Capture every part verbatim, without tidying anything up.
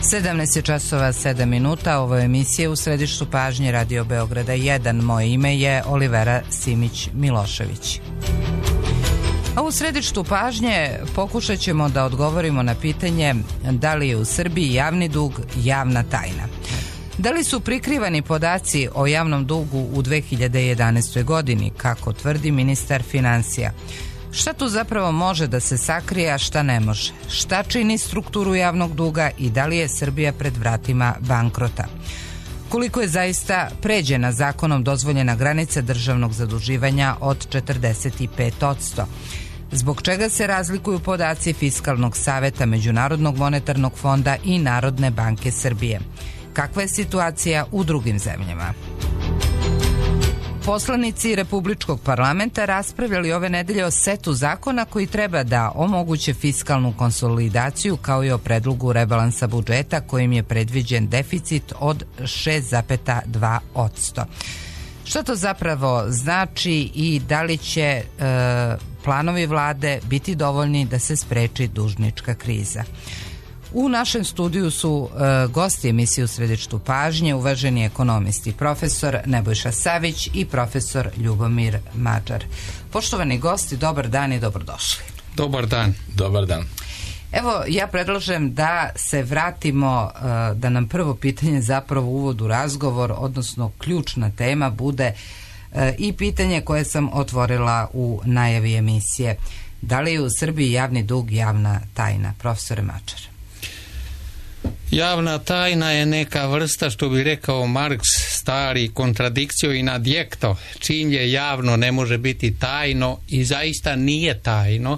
sedamnaest je časova sedam minuta, ovo je emisija U središtu pažnje Radio Beograda jedan. Moje ime je Olivera Simić-Milošević. A u središtu pažnje pokušat ćemo da odgovorimo na pitanje da li je u Srbiji javni dug javna tajna. Da li su prikrivani podaci o javnom dugu u dve hiljade jedanaestoj. godini, kako tvrdi ministar finansija? Šta tu zapravo može da se sakrije, a šta ne može? Šta čini strukturu javnog duga i da li je Srbija pred vratima bankrota? Koliko je zaista pređena zakonom dozvoljena granica državnog zaduživanja od četrdeset pet posto? Zbog čega se razlikuju podaci Fiskalnog saveta Međunarodnog monetarnog fonda i Narodne banke Srbije? Kakva je situacija u drugim zemljama? Poslanici Republičkog parlamenta raspravljali ove nedelje o setu zakona koji treba da omoguće fiskalnu konsolidaciju, kao i o predlogu rebalansa budžeta kojim je predviđen deficit od šest zarez dva posto. Šta to zapravo znači i da li će e, planovi vlade biti dovoljni da se spreči dužnička kriza? U našem studiju su e, gosti emisije U središtu pažnje, uvaženi ekonomisti, profesor Nebojša Savić i profesor Ljubomir Mađar. Poštovani gosti, dobar dan i dobrodošli. Dobar dan. Dobar dan. Evo, ja predlažem da se vratimo, e, da nam prvo pitanje zapravo uvod u razgovor, odnosno ključna tema bude e, i pitanje koje sam otvorila u najavi emisije. Da li je u Srbiji javni dug javna tajna? Profesore Mađar. Javna tajna je neka vrsta, što bi rekao Marks, stari kontradikcio in adjekto. Čim je javno ne može biti tajno i zaista nije tajno,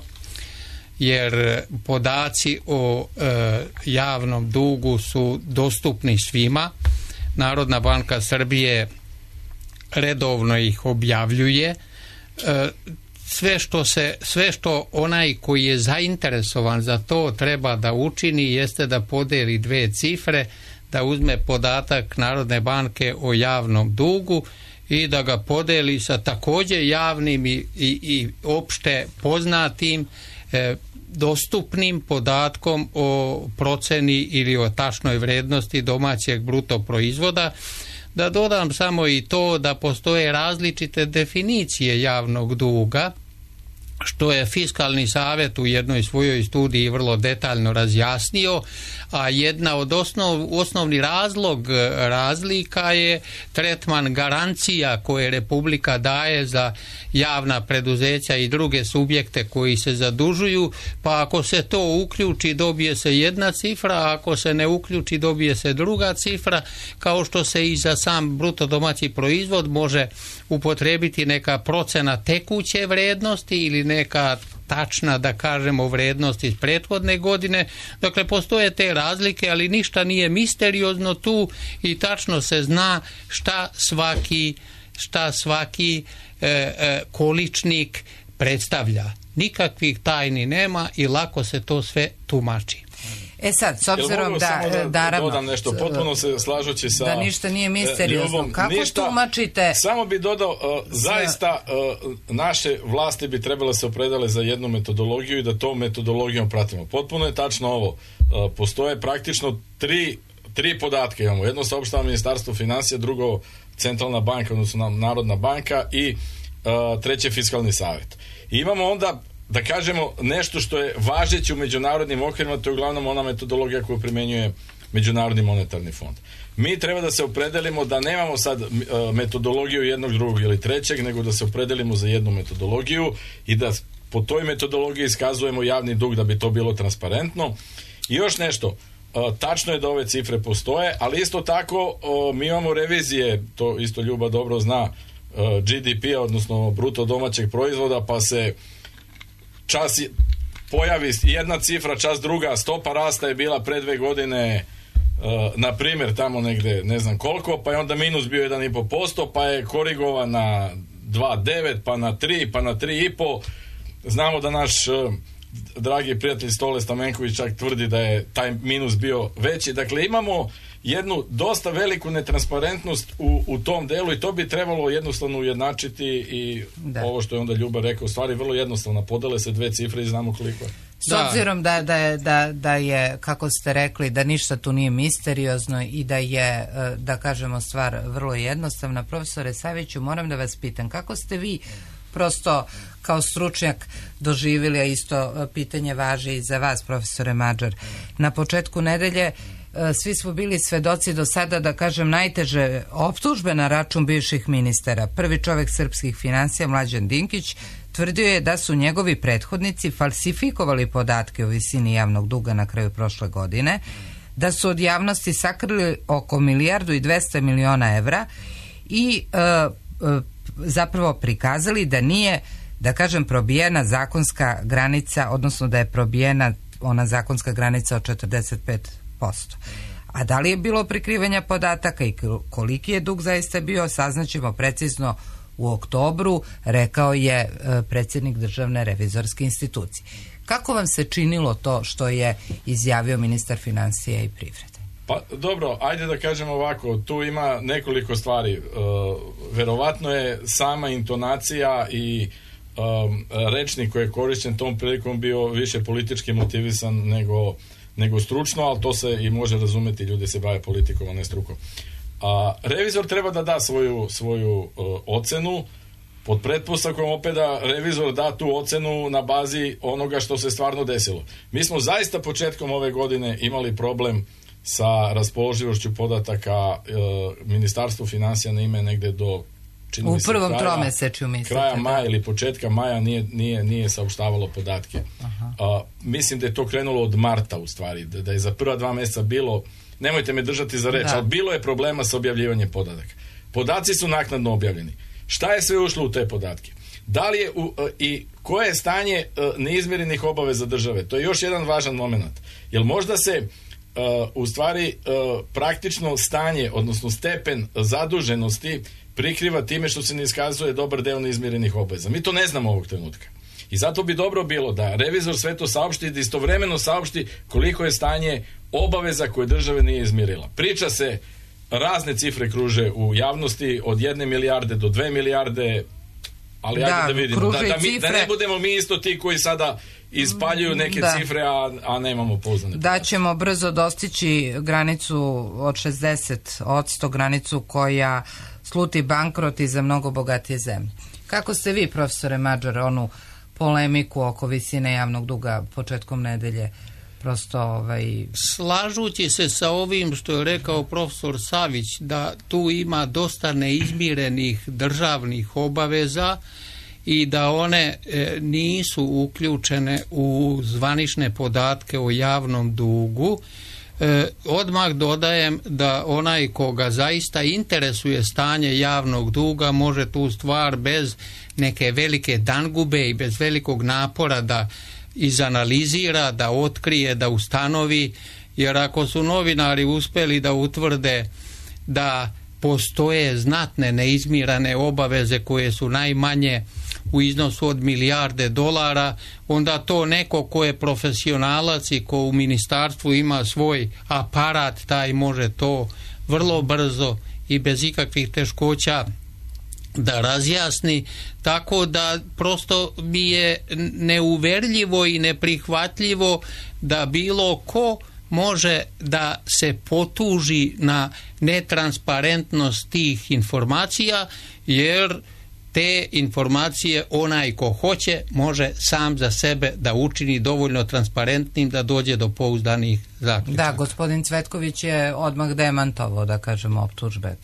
jer podaci o e, javnom dugu su dostupni svima. Narodna banka Srbije redovno ih objavljuje. E, Sve što, se, sve što onaj koji je zainteresovan za to treba da učini jeste da podeli dve cifre, da uzme podatak Narodne banke o javnom dugu i da ga podeli sa također javnim i, i, i opšte poznatim e, dostupnim podatkom o proceni ili o tačnoj vrednosti domaćeg bruto proizvoda. Da dodam samo i to da postoje različite definicije javnog duga, što je Fiskalni savet u jednoj svojoj studiji vrlo detaljno razjasnio, a jedna od osnov, osnovni razlog razlika je tretman garancija koje Republika daje za javna preduzeća i druge subjekte koji se zadužuju, pa ako se to uključi dobije se jedna cifra, a ako se ne uključi dobije se druga cifra, kao što se i za sam bruto domaći proizvod može upotrebiti neka procena tekuće vrednosti ili neka tačna, da kažemo, vrednost iz prethodne godine. Dakle, postoje te razlike, ali ništa nije misteriozno tu i tačno se zna šta svaki, šta svaki e, e, količnik predstavlja. Nikakvih tajni nema i lako se to sve tumači. E sad, s obzirom da, da, naravno, dodam nešto, potpuno se slažući sa da ništa nije misteriozno. Ljubom, kako ništa, tumačite? Samo bi dodao, uh, zaista uh, naše vlasti bi trebale se opredele za jednu metodologiju i da tom metodologijom pratimo. Potpuno je tačno ovo. Uh, postoje praktično tri, tri podatke imamo. Jedno saopštava Ministarstvo finansija, drugo Centralna banka, odnosno Narodna banka i uh, treće Fiskalni savet. I imamo onda, da kažemo, nešto što je važeće u međunarodnim okvirima, to je uglavnom ona metodologija koju primjenjuje Međunarodni monetarni fond. Mi treba da se opredelimo da nemamo sad uh, metodologiju jednog, drugog ili trećeg, nego da se opredelimo za jednu metodologiju i da po toj metodologiji iskazujemo javni dug da bi to bilo transparentno. I još nešto, uh, tačno je da ove cifre postoje, ali isto tako uh, mi imamo revizije, to isto Ljuba dobro zna, uh, G D P-a, odnosno bruto domaćeg proizvoda, pa se čas pojavi jedna cifra, čas druga, stopa rasta je bila pre dve godine uh, na primjer tamo negde ne znam koliko, pa je onda minus bio jedan i po posto, pa je korigovan na dva zarez devet, pa na tri, pa na tri i po. Znamo da naš uh, dragi prijatelj Stole Stamenković čak tvrdi da je taj minus bio veći. Dakle, imamo jednu dosta veliku netransparentnost u, u tom delu i to bi trebalo jednostavno ujednačiti i da. Ovo što je onda Ljuba rekao, stvari vrlo jednostavno, podele se dve cifre i znamo koliko je. S da. obzirom da, da, je, da, da je, kako ste rekli, da ništa tu nije misteriozno i da je, da kažemo, stvar vrlo jednostavna, profesore Saviću, moram da vas pitam, kako ste vi prosto kao stručnjak doživjeli, a isto pitanje važi i za vas, profesore Mađar. Na početku nedelje svi smo bili svedoci do sada, da kažem, najteže optužbe na račun bivših ministara. Prvi čovjek srpskih finansija, Mlađan Dinkić, tvrdio je da su njegovi prethodnici falsifikovali podatke o visini javnog duga na kraju prošle godine, da su od javnosti sakrili oko milijardu i dvesta miliona evra i e, e, zapravo prikazali da nije, da kažem, probijena zakonska granica, odnosno da je probijena ona zakonska granica od četrdeset pet posto. A da li je bilo prikrivanja podataka i koliki je dug zaista bio, saznaćemo precizno u oktobru, rekao je predsjednik Državne revizorske institucije. Kako vam se činilo to što je izjavio ministar financija i privrede? Pa dobro, ajde da kažem ovako, tu ima nekoliko stvari. E, verovatno je sama intonacija i um, rečnik koji je korišćen tom prilikom bio više politički motivisan nego, nego stručno, ali to se i može razumeti, ljudi se bave politikom, a ne strukom. A revizor treba da da svoju, svoju uh, ocenu, pod pretpostavkom opet da revizor da tu ocenu na bazi onoga što se stvarno desilo. Mi smo zaista početkom ove godine imali problem sa raspoloživošću podataka, uh, Ministarstvo financija na ime negde do u prvom tromesečju mislite, kraja maja ili početka maja nije, nije, nije saopštavalo podatke. Uh, mislim da je to krenulo od marta u stvari, da, da je za prva dva mjeseca bilo, nemojte me držati za reč, da. ali bilo je problema sa objavljivanjem podataka. Podaci su naknadno objavljeni. Šta je sve ušlo u te podatke? Da li je u, uh, i koje je stanje uh, neizmirenih obaveza države? To je još jedan važan moment. Jer možda se uh, u stvari uh, praktično stanje, odnosno stepen zaduženosti prikriva time što se ne iskazuje dobar deo neizmirenih obaveza. Mi to ne znamo ovog trenutka. I zato bi dobro bilo da revizor sve to saopšti i da istovremeno saopšti koliko je stanje obaveza koje države nije izmirila. Priča se, razne cifre kruže u javnosti, od jedne milijarde do dve milijarde, ali da, ajde da vidimo. Da, da, mi, da ne budemo mi isto ti koji sada ispaljuju neke da. cifre, a, a nemamo pouzdane podatke. Da ćemo brzo dostići granicu od šezdeset odsto, granicu koja sluti bankrot i za mnogo bogatije zemlje. Kako ste vi, profesore Mađar, onu polemiku oko visine javnog duga početkom nedelje prosto ovaj... Slažući se sa ovim što je rekao profesor Savić, da tu ima dosta neizmirenih državnih obaveza i da one e, nisu uključene u zvanične podatke o javnom dugu, e, odmah dodajem da onaj koga zaista interesuje stanje javnog duga može tu stvar bez neke velike dangube i bez velikog napora da izanalizira, da otkrije, da ustanovi, jer ako su novinari uspjeli da utvrde da postoje znatne neizmirane obaveze koje su najmanje u iznosu od milijarde dolara, onda to neko ko je profesionalac i ko u ministarstvu ima svoj aparat, taj može to vrlo brzo i bez ikakvih teškoća da razjasni, tako da prosto mi je neuverljivo i neprihvatljivo da bilo ko može da se potuži na netransparentnost tih informacija, jer te informacije onaj ko hoće može sam za sebe da učini dovoljno transparentnim da dođe do pouzdanih zaključaka. Da, gospodin Cvetković je odmah demantovao, da kažemo, optužbe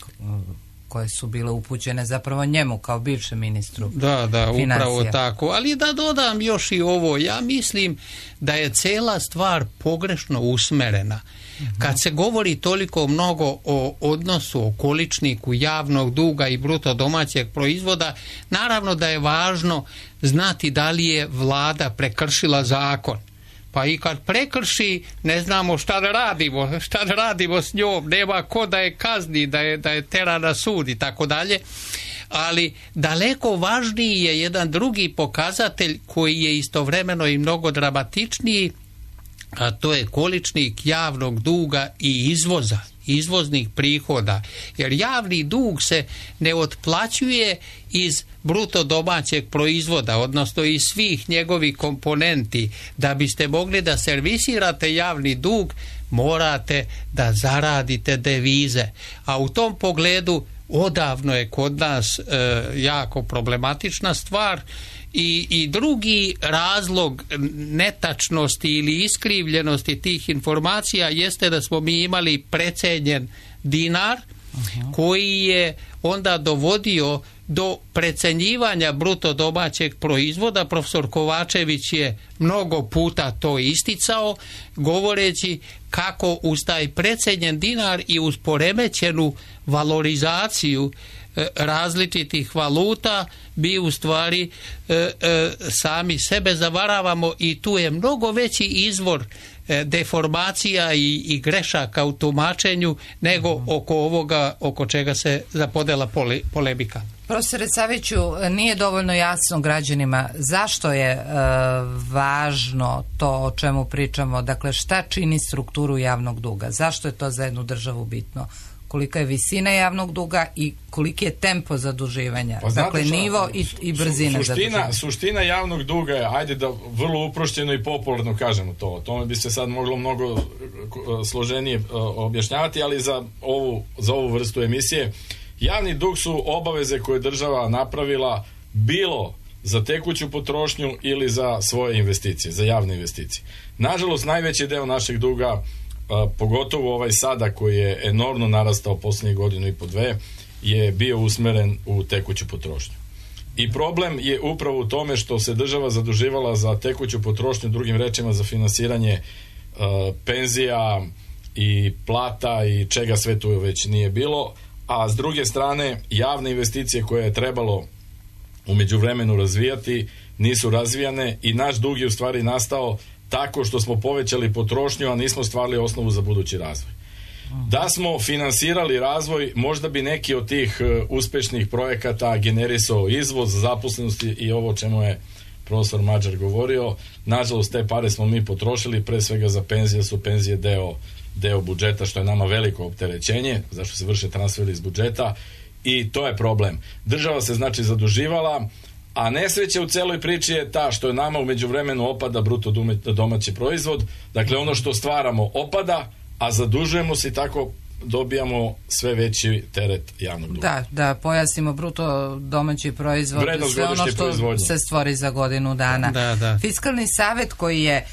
koje su bile upućene zapravo njemu kao bivšem ministru Da, da, financija. Upravo tako. Ali da dodam još i ovo, ja mislim da je cela stvar pogrešno usmerena. Uh-huh. Kad se govori toliko mnogo o odnosu, o količniku javnog duga i bruto domaćeg proizvoda, naravno da je važno znati da li je vlada prekršila zakon. Pa i kad prekrši, ne znamo šta da radimo, šta da radimo s njom, nema ko da je kazni, da je, da je tera na sud i tako dalje. Ali daleko važniji je jedan drugi pokazatelj koji je istovremeno i mnogo dramatičniji, a to je količnik javnog duga i izvoza. izvoznih prihoda, jer javni dug se ne otplaćuje iz bruto domaćeg proizvoda, odnosno iz svih njegovih komponenti. Da biste mogli da servisirate javni dug, morate da zaradite devize. A u tom pogledu odavno je kod nas e, jako problematična stvar. I, i drugi razlog netačnosti ili iskrivljenosti tih informacija jeste da smo mi imali precenjen dinar, uh-huh. koji je onda dovodio do precenjivanja bruto domaćeg proizvoda. Profesor Kovačević je mnogo puta to isticao, govoreći kako uz taj precenjen dinar i uz poremećenu valorizaciju različitih valuta mi u stvari e, e, sami sebe zavaravamo i tu je mnogo veći izvor e, deformacija i, i grešaka u tumačenju nego mm. oko ovoga oko čega se zapodela pole, polemika. Profesore Saviću, nije dovoljno jasno građanima zašto je e, važno to o čemu pričamo, dakle šta čini strukturu javnog duga, zašto je to za jednu državu bitno? Kolika je visina javnog duga i koliki je tempo zaduživanja. Pa dakle, šta, nivo i, i brzina suština, zaduživanja. Suština javnog duga je, ajde da vrlo uprošćeno i popularno kažemo to. O tome bi se sad moglo mnogo složenije objašnjavati, ali za ovu, za ovu vrstu emisije. Javni dug su obaveze koje država napravila bilo za tekuću potrošnju ili za svoje investicije, za javne investicije. Nažalost, najveći deo našeg duga, Uh, pogotovo ovaj sada koji je enormno narastao posljednjih godinu i po dve, je bio usmeren u tekuću potrošnju. I problem je upravo u tome što se država zaduživala za tekuću potrošnju, drugim rečima za finansiranje uh, penzija i plata i čega sve tu već nije bilo, a s druge strane javne investicije koje je trebalo u međuvremenu razvijati nisu razvijane i naš dug je u stvari nastao tako što smo povećali potrošnju, a nismo stvarali osnovu za budući razvoj. Da smo finansirali razvoj, možda bi neki od tih uh, uspešnih projekata generisao izvoz, zaposlenosti i ovo čemu je profesor Mađar govorio. Nažalost, te pare smo mi potrošili, pre svega za penzije, su penzije deo, deo budžeta, što je nama veliko opterećenje, zašto se vrše transferi iz budžeta i to je problem. Država se znači zaduživala, a nesreća u celoj priči je ta što je nama u međuvremenu opada bruto domaći proizvod, dakle ono što stvaramo opada, a zadužujemo se i tako dobijamo sve veći teret javnog duga. Da, da pojasnimo bruto domaći proizvod, vrednost sve ono što proizvodnje se stvori za godinu dana. Da, da. Fiskalni savet koji je e,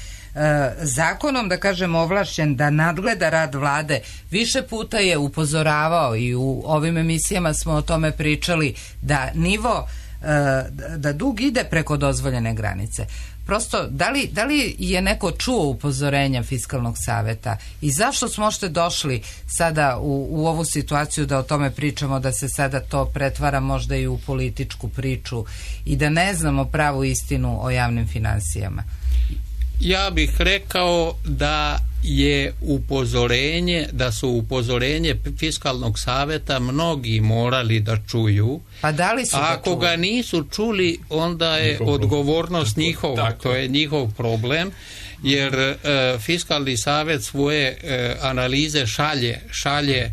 zakonom, da kažem, ovlašćen da nadgleda rad vlade, više puta je upozoravao i u ovim emisijama smo o tome pričali da nivo da dug ide preko dozvoljene granice. Prosto, da li, da li je neko čuo upozorenja Fiskalnog saveta i zašto smo ošte došli sada u, u ovu situaciju da o tome pričamo, da se sada to pretvara možda i u političku priču i da ne znamo pravu istinu o javnim finansijama? Ja bih rekao da je upozorenje, da su upozorenje Fiskalnog saveta mnogi morali da čuju. Pa da li su Ako ga, ga nisu čuli, onda je njihov odgovornost problem. njihova, to je njihov problem, jer e, Fiskalni savet svoje e, analize šalje, šalje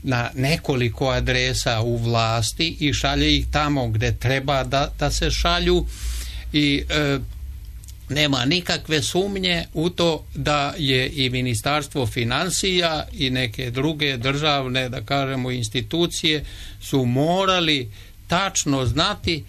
na nekoliko adresa u vlasti i šalje ih tamo gde treba da, da se šalju i e, nema nikakve sumnje u to da je i Ministarstvo financija i neke druge državne, da kažemo, institucije su morali tačno znati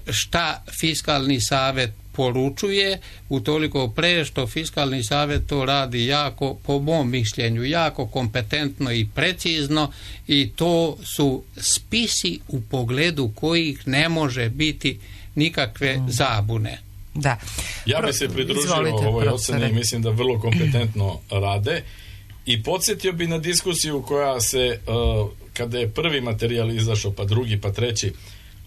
šta Fiskalni savet poručuje, utoliko pre što Fiskalni savet to radi jako, po mom mišljenju, jako kompetentno i precizno i to su spisi u pogledu kojih ne može biti nikakve zabune. Da. Ja bih se pridružio ovoj oceni i mislim da vrlo kompetentno rade i podsjetio bi na diskusiju koja se, uh, kada je prvi materijal izašao, pa drugi, pa treći,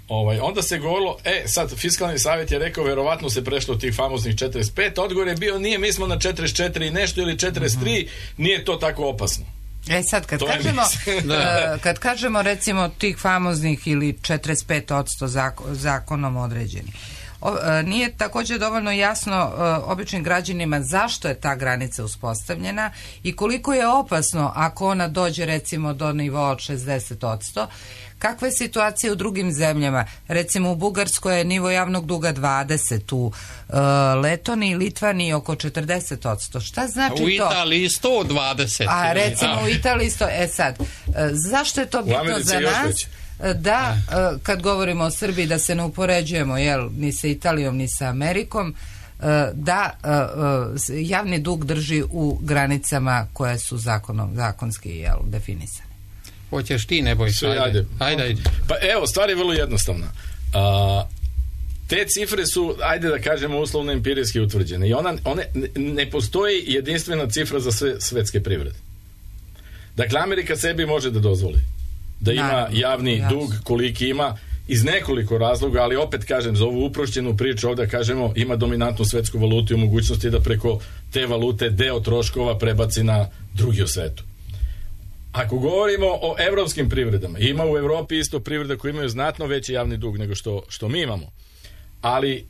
ovaj, onda se govorilo, e, sad Fiskalni savjet je rekao, verovatno se prešlo tih famoznih četrdeset pet, odgovor je bio, nije, mi smo na četrdeset četiri i nešto ili četrdeset tri, mm-hmm. nije to tako opasno. E sad, kad kažemo, kad kažemo recimo tih famoznih ili četrdeset pet posto zako, zakonom određeni, o, nije također dovoljno jasno običnim građanima zašto je ta granica uspostavljena i koliko je opasno ako ona dođe recimo do nivoa od šezdeset odsto. Kakva je situacija u drugim zemljama? Recimo u Bugarskoj je nivo javnog duga dvadeset, u uh, Letoniji i Litvaniji oko četrdeset odsto. Šta znači to? U Italiji sto dvadeset. A recimo u Italiji sto... E sad, uh, zašto je to bitno za nas? Da, uh, kad govorimo o Srbiji, da se ne upoređujemo jel, ni sa Italijom, ni sa Amerikom, uh, da uh, uh, javni dug drži u granicama koje su zakonom, zakonski jel, definisane. Hoćeš ti, ne boj se. Ajde. Ajde, ajde, ajde. Pa evo, stvar je vrlo jednostavna. A, te cifre su, ajde da kažemo, uslovno empirijski utvrđene. I ona, one, ne postoji jedinstvena cifra za sve svetske privrede. Dakle, Amerika sebi može da dozvoli da ima Naravno, javni jasno. dug koliki ima iz nekoliko razloga, ali opet kažem, za ovu uprošćenu priču ovdje kažemo ima dominantnu svetsku valutu i mogućnosti da preko te valute deo troškova prebaci na drugi u svetu. Ako govorimo o evropskim privredama, ima u Evropi isto privreda koji imaju znatno veći javni dug nego što, što mi imamo. Ali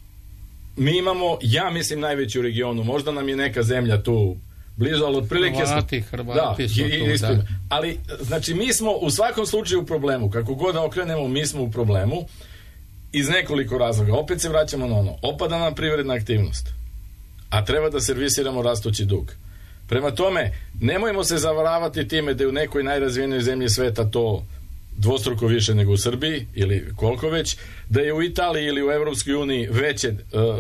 mi imamo, ja mislim, najveći u regionu. Možda nam je neka zemlja tu blizu, ali otprilike Hrvati, Hrvati da, su tu, da. Ali, znači, mi smo u svakom slučaju u problemu. Kako god da okrenemo, mi smo u problemu iz nekoliko razloga. Opet se vraćamo na ono. Opada nam privredna aktivnost, a treba da servisiramo rastući dug. Prema tome, nemojmo se zavaravati time da je u nekoj najrazvijenoj zemlji sveta to dvostruko više nego u Srbiji, ili koliko već, da je u Italiji ili u Evropskoj uniji veće,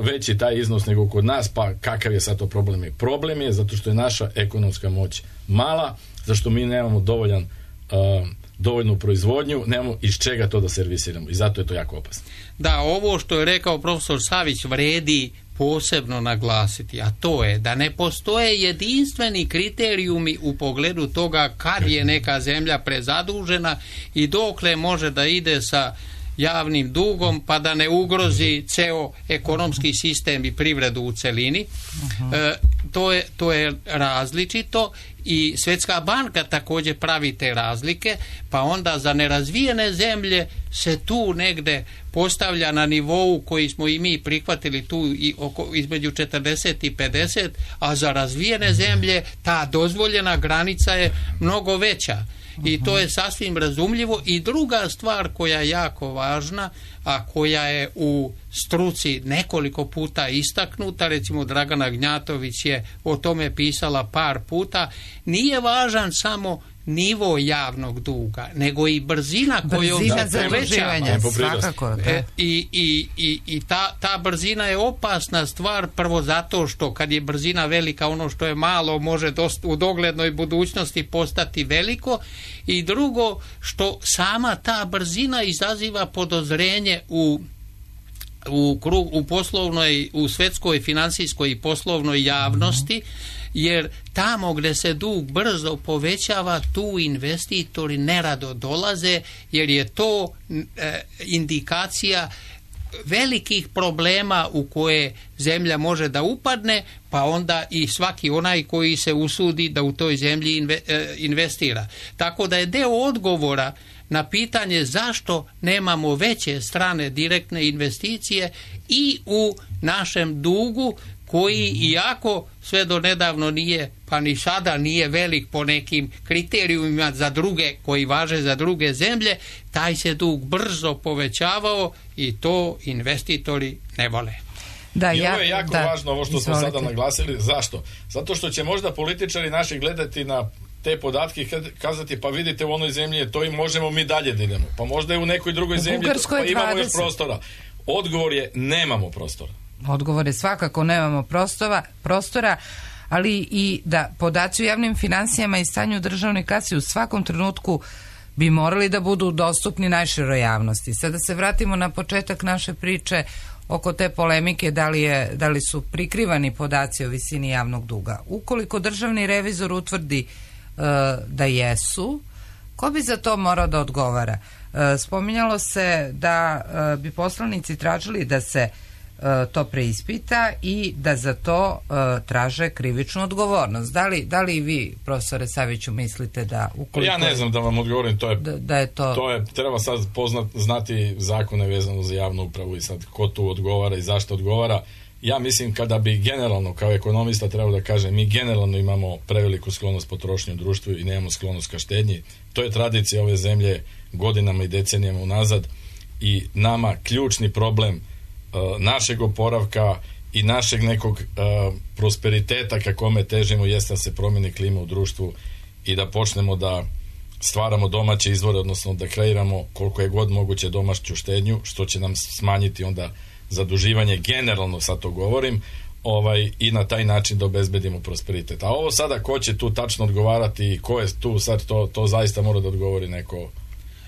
veći taj iznos nego kod nas, pa kakav je sad to problem? Problem je zato što je naša ekonomska moć mala, zašto mi nemamo dovoljan, uh, dovoljnu proizvodnju, nemamo iz čega to da servisiramo i zato je to jako opasno. Da, ovo što je rekao profesor Savić vredi posebno naglasiti, a to je da ne postoje jedinstveni kriterijumi u pogledu toga kad je neka zemlja prezadužena i dokle može da ide sa javnim dugom pa da ne ugrozi ceo ekonomski sistem i privredu u celini. Uh-huh. E, to je, to je različito i Svjetska banka također pravi te razlike, pa onda za nerazvijene zemlje se tu negde postavlja na nivou koji smo i mi prihvatili tu i oko, između četrdeset i pedeset, a za razvijene zemlje ta dozvoljena granica je mnogo veća. I to je sasvim razumljivo. I druga stvar koja je jako važna, a koja je u struci nekoliko puta istaknuta, recimo Dragana Gnjatović je o tome pisala par puta, nije važan samo nivo javnog duga, nego i brzina koju on povećava. Svakako. E, I, i, i, i ta, ta brzina je opasna stvar, prvo zato što kad je brzina velika, ono što je malo može dost, u doglednoj budućnosti postati veliko, i drugo što sama ta brzina izaziva podozrenje u u, krug, u poslovnoj, u svetskoj financijskoj i poslovnoj javnosti, jer tamo gdje se dug brzo povećava, tu investitori nerado dolaze, jer je to e, indikacija velikih problema u koje zemlja može da upadne, pa onda i svaki onaj koji se usudi da u toj zemlji inve, e, investira. Tako da je deo odgovora na pitanje zašto nemamo veće strane direktne investicije i u našem dugu, koji iako sve do nedavno nije, pa ni sada nije velik po nekim kriterijumima za druge, koji važe za druge zemlje, taj se dug brzo povećavao i to investitori ne vole. Da, I ovo je jako da, važno, ovo što smo sada naglasili. Zašto? Zato što će možda političari naši gledati na te podatke i kazati, pa vidite, u onoj zemlji je to i možemo mi dalje da idemo. Pa možda je u nekoj drugoj u zemlji pa imamo još prostora. Odgovor je nemamo prostora. Odgovor je svakako nemamo prostora, prostora, ali i da podaci o javnim financijama i stanju državne kase u svakom trenutku bi morali da budu dostupni najširoj javnosti. Sada se vratimo na početak naše priče oko te polemike da li, je, da li su prikrivani podaci o visini javnog duga. Ukoliko državni revizor utvrdi uh, da jesu, ko bi za to morao da odgovara? Uh, spominjalo se da uh, bi poslanici tražili da se to preispita i da za to uh, traže krivičnu odgovornost. Da li, da li vi, profesore Saviću, mislite da ukoliko... Ja ne znam da vam odgovorim, to je, da, da je to... to je, treba sad poznat, znati zakone vezano za javnu upravu i sad ko tu odgovara i zašto odgovara. Ja mislim kada bi generalno, kao ekonomista trebao da kažem, mi generalno imamo preveliku sklonost potrošnje u društvu i nemamo sklonost ka štednji. To je tradicija ove zemlje godinama i decenijama unazad i nama ključni problem našeg oporavka i našeg nekog uh, prosperiteta ka kome težimo jeste da se promijeni klima u društvu i da počnemo da stvaramo domaće izvore, odnosno da kreiramo koliko je god moguće domaću štednju, što će nam smanjiti onda zaduživanje, generalno sad to govorim, ovaj, i na taj način da obezbedimo prosperitet. A ovo sada ko će tu tačno odgovarati i ko je tu sad, to, to zaista mora da odgovori neko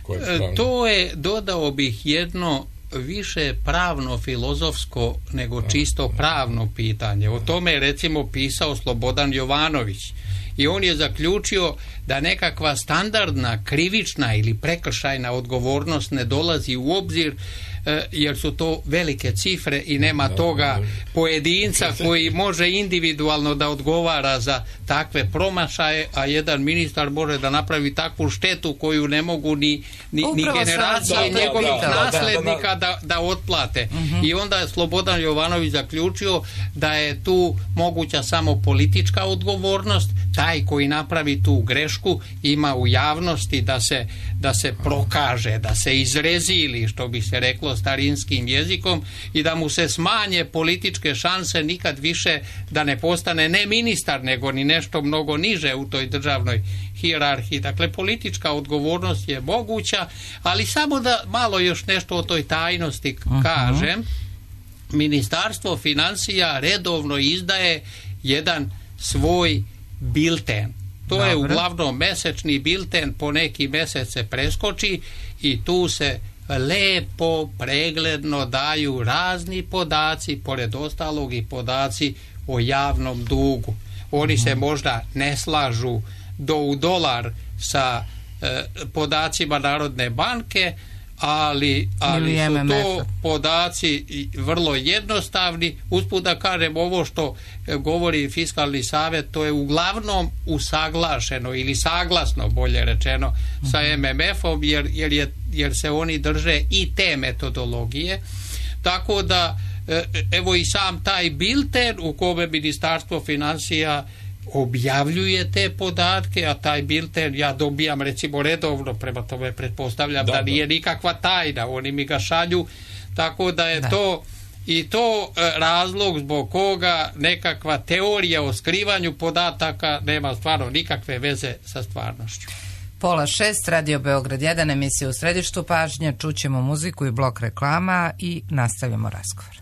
ko je pravno. To je, dodao bih jedno više pravno-filozofsko nego čisto pravno pitanje. O tome je recimo pisao Slobodan Jovanović i on je zaključio da nekakva standardna krivična ili prekršajna odgovornost ne dolazi u obzir jer su to velike cifre i nema toga pojedinca koji može individualno da odgovara za takve promašaje, a jedan ministar može da napravi takvu štetu koju ne mogu ni, ni, ni generacije da, njegovih da, da, naslednika da, da otplate. Uh-huh. I onda je Slobodan Jovanović zaključio da je tu moguća samo politička odgovornost. Taj koji napravi tu grešku ima u javnosti da se, da se prokaže, da se izrezili, što bi se reklo starinskim jezikom, i da mu se smanje političke šanse nikad više da ne postane ne ministar, nego ni nešto mnogo niže u toj državnoj hijerarhiji. Dakle, politička odgovornost je moguća, ali samo da malo još nešto o toj tajnosti kažem. Uh-huh. Ministarstvo financija redovno izdaje jedan svoj bilten. To Dobre. je uglavnom mesečni bilten, po neki mesec se preskoči i tu se lepo, pregledno daju razni podaci, pored ostalog i podaci o javnom dugu. Oni se možda ne slažu do u dolar sa e, podacima Narodne banke, ali, ali su to podaci vrlo jednostavni. Usput da kažem, ovo što govori Fiskalni savjet, to je uglavnom usaglašeno ili saglasno, bolje rečeno, sa em em efom, jer, jer, je, jer se oni drže i te metodologije. Tako da, evo i sam taj bilten u kome Ministarstvo financija objavljuje te podatke, a taj bilten ja dobijam recimo redovno, prema tome pretpostavljam da, da nije nikakva tajna, oni mi ga šalju, tako da je da. to i to razlog zbog koga nekakva teorija o skrivanju podataka nema stvarno nikakve veze sa stvarnošću. Pola šest, Radio Beograd jedan, emisija u središtu pažnje, čućemo muziku i blok reklama i nastavljamo razgovor.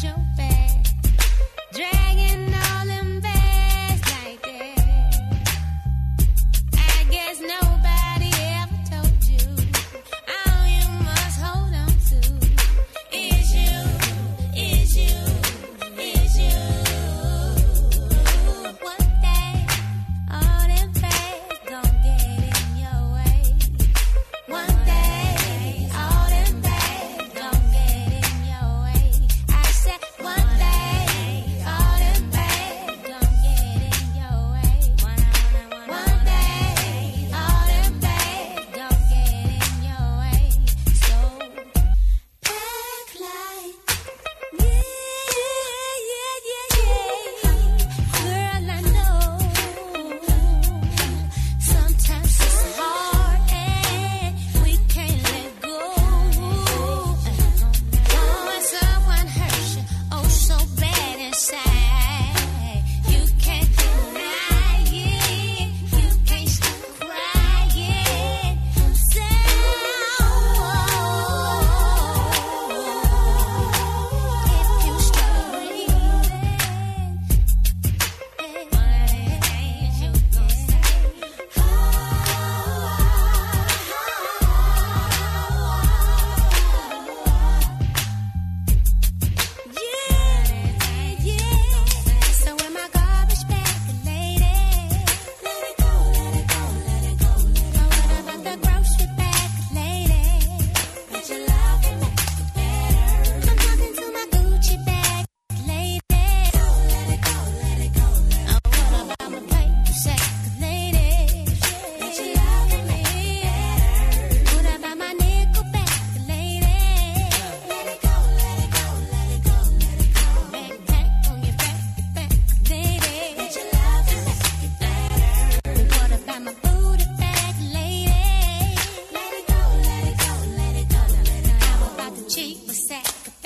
Your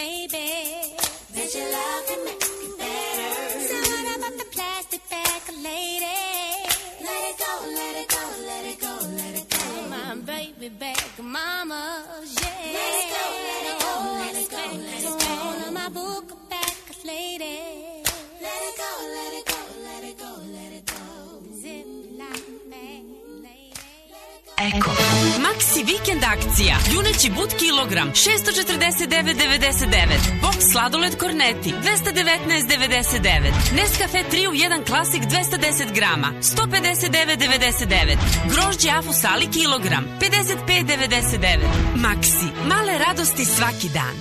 baby. Bet your love can make it better. So what about the plastic bag lady? Let it go, let it go, let it go, let it go. My baby bag mama, yeah. Let it go, let it go, let it go, let it go. On my book bag lady. Let it go, let it go, let it go, let it go. Zip like bag lady. Eko. Maxi vikend akcija. Juneći but kilogram šessto četrdeset devet devedeset devet. Boks sladoled Korneti dvesta devetnaest devedeset devet. Nescafe tri u jedan klasik dvesta deset grama sto pedeset devet devedeset devet. Grožđe Afusali kilogram pedeset pet devedeset devet. Maxi, male radosti svaki dan.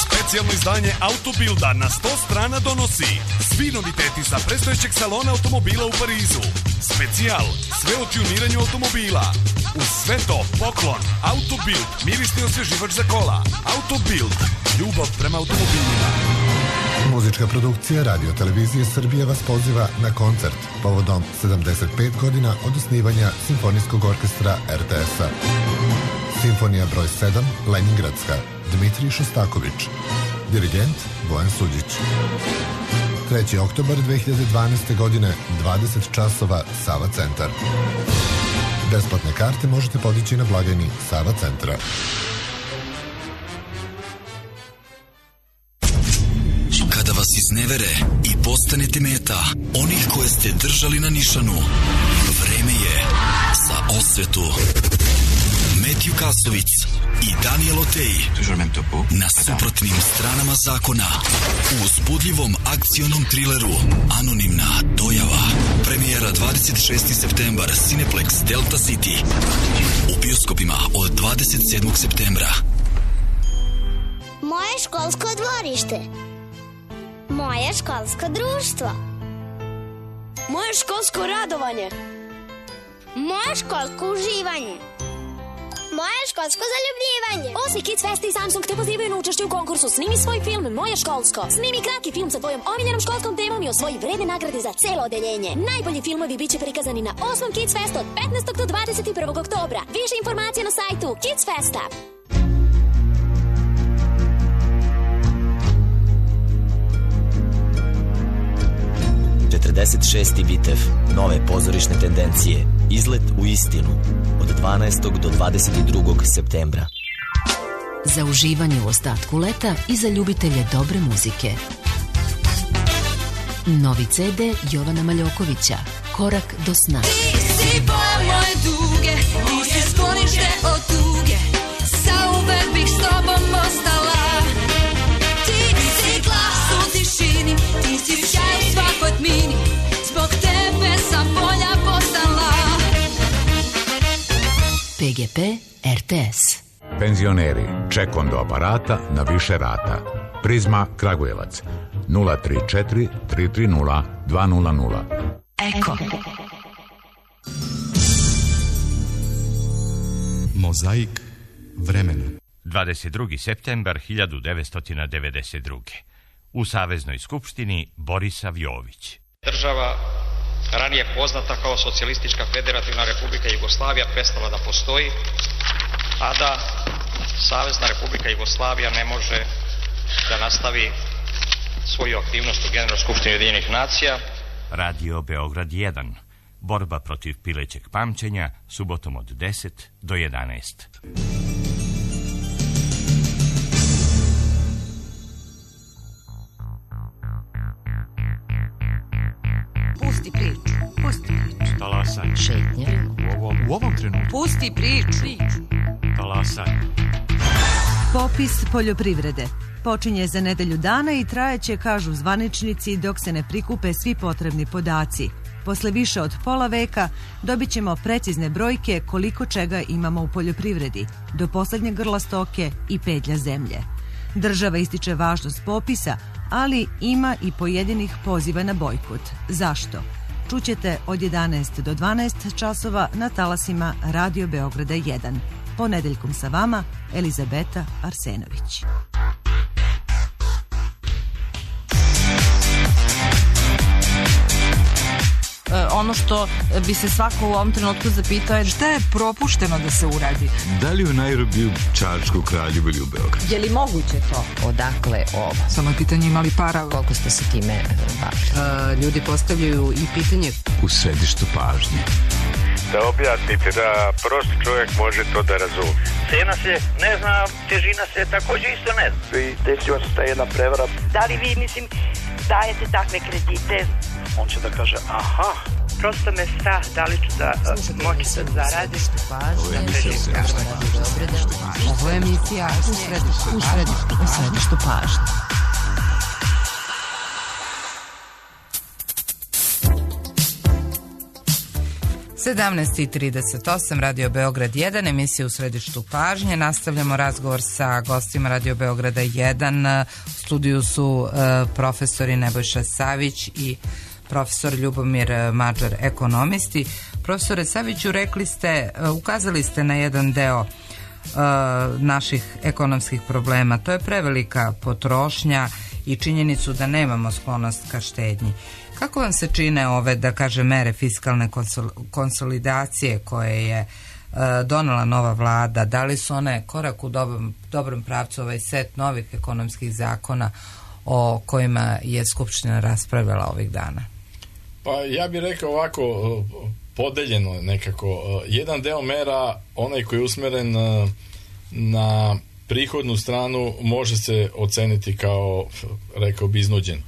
Specijalno izdanje Autobilda na sto strana donosi svi noviteti sa predstojećeg salona automobila u Parizu. Specijal, sve o tuniranju automobila. Uz sve to, poklon, Autobild, mirisni osvježivač za kola. Autobild, ljubav prema automobilima. Muzička produkcija Radio Televizije Srbije vas poziva na koncert povodom sedamdeset pet godina od osnivanja Simfonijskog orkestra er te es-a. Simfonija broj sedam, Leningradska, Dmitrij Šostaković. Dirigent Bojan Suđić. treći oktobar dve hiljade dvanaeste. godine, dvadeset časova, Sava centar. Besplatne karte možete podići na blagajni Sava centra. Kada vas iznevere i postanete meta onih koje ste držali na nišanu, vreme je za osvetu. Metju Kasovic i Daniel Otej na suprotnim stranama zakona u uzbudljivom akcionom trileru Anonimna dojava. Premijera dvadeset šesti septembar, Cineplex Delta City. U bioskopima od dvadeset sedmog septembra. Moje školsko dvorište. Moje školsko društvo. Moje školsko radovanje. Moje školsko uživanje. Moje školsko zaljubljivanje. Osmi Kids Fest i Samsung te pozivaju na učešće u konkursu Snimi svoj film Moje školsko. Snimi kratki film sa tvojom omiljenom školskom temom i osvoji vredne nagrade za celo odeljenje. Najbolji filmovi biće prikazani na osmom Kids Fest od petnaestog do dvadeset prvog oktobra. Više informacija na sajtu Kids Festa. četrdeset šesti Bitev, nove pozorišne tendencije, izlet u istinu, od dvanaestog do dvadeset drugog septembra. Za uživanje u ostatku leta i za ljubitelje dobre muzike. Novi ce de Jovana Maljokovića, Korak do sna. Ti si boja moje duge, ti si sklonište od tuge, zauvek bih s tobom ostala. Ti si glas u tišini, ti si sjaj u svakoj tmini, zbog tebe sam bolja postala. pe ge pe er te es. Penzioneri, ček do aparata na više rata. Prizma Kragujevac nula tri četiri tri tri nula dva nula nula. Eko. Mozaik vremena. dvadeset drugi septembar hiljadu devetsto devedeset druge. U Saveznoj skupštini Borisav Jović. Država, ranije poznata kao Socijalistička federativna republika Jugoslavija, prestala da postoji, a da Savezna republika Jugoslavija ne može da nastavi svoju aktivnost u Generalnoj skupštini Ujedinjenih nacija. Radio Beograd jedan. Borba protiv pilećeg pamćenja, subotom od deset do jedanaest. Pusti priču, pusti priču. Talasaj. Šetnja. U ovom, u ovom trenutku. Pusti priču. Talasaj. Popis poljoprivrede počinje za nedelju dana i trajeće, kažu zvaničnici, dok se ne prikupe svi potrebni podaci. Posle više od pola veka dobit ćemo precizne brojke koliko čega imamo u poljoprivredi, do poslednjeg grla stoke i pedlja zemlje. Država ističe važnost popisa, ali ima i pojedinih poziva na bojkot. Zašto? Čućete od jedanaest do dvanaest časova na talasima Radio Beograda jedan. Ponedeljkom sa vama Elizabeta Arsenović. ono što bi se svako u ovom trenutku zapitao je šta je propušteno da se uradi? Da li u Nairobiju, Čačku, Kraljevu ili u Beogradu? Je li moguće to? Odakle ovo? Samo je pitanje imali para. Koliko ste se time bavili? Ljudi postavljaju i pitanje u središtu pažnje. Da objasnite da prosti čovjek može to da razumije. Cena se ne zna, težina se također isto ne zna. I desila se ta jedna prevara. Da li vi, mislim, dajete takve kredite? On će da kaže, aha. Prosto me strah da li ću da moći da zaradim. Ovo je emisija Ovo je emisija u središtu pažnje. sedamnaest i trideset osam, Radio Beograd jedan, emisija u središtu pažnje. Nastavljamo razgovor sa gostima Radio Beograda jedan. U studiju su uh, profesori Nebojša Savić i profesor Ljubomir Mađar, ekonomisti. Profesore Saviću, rekli ste, uh, ukazali ste na jedan deo uh, naših ekonomskih problema. To je prevelika potrošnja i činjenicu da nemamo sklonost ka štednji. Kako vam se čine ove, da kaže, mere fiskalne konsolidacije koje je e, donela nova vlada? Da li su one korak u dobrom, dobrom pravcu, ovaj set novih ekonomskih zakona o kojima je Skupština raspravljala ovih dana? Pa ja bih rekao ovako, podeljeno nekako. Jedan deo mera, onaj koji je usmeren na prihodnu stranu, može se oceniti kao, rekao bi, iznuđen.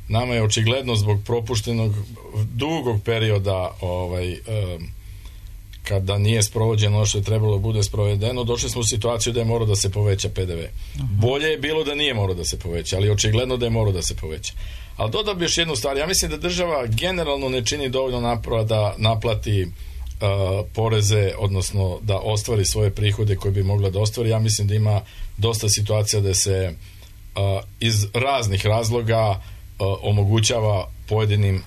Nama je očigledno zbog propuštenog dugog perioda ovaj, um, kada nije sprovođeno ono što je trebalo da bude sprovedeno, došli smo u situaciju da je morao da se poveća P D V. Uh-huh. Bolje je bilo da nije morao da se poveća, ali očigledno da je morao da se poveća. Ali dodao bi još jednu stvar, ja mislim da država generalno ne čini dovoljno napora da naplati uh, poreze, odnosno da ostvari svoje prihode koje bi mogla da ostvari. Ja mislim da ima dosta situacija da se uh, iz raznih razloga omogućava pojedinim uh,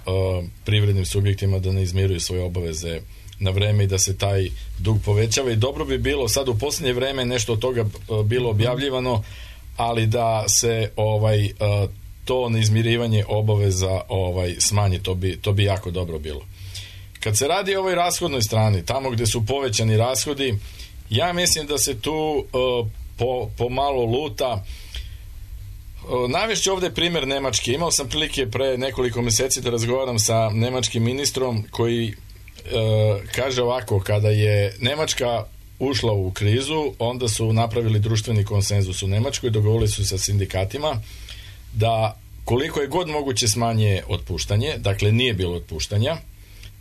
privrednim subjektima da ne izmiruju svoje obaveze na vreme i da se taj dug povećava. I dobro bi bilo, sad u posljednje vreme nešto od toga uh, bilo objavljivano, ali da se ovaj uh, to neizmirivanje obaveza ovaj smanji, to bi, to bi jako dobro bilo. Kad se radi o ovoj rashodnoj strani, tamo gdje su povećani rashodi, ja mislim da se tu uh, po, po malo luta. Navešću ovdje primjer Nemačke. Imao sam prilike pre nekoliko mjeseci da razgovaram sa nemačkim ministrom koji e, kaže ovako, kada je Nemačka ušla u krizu, onda su napravili društveni konsenzus u Nemačkoj, dogovorili su sa sindikatima da koliko je god moguće smanje otpuštanje, dakle nije bilo otpuštanja,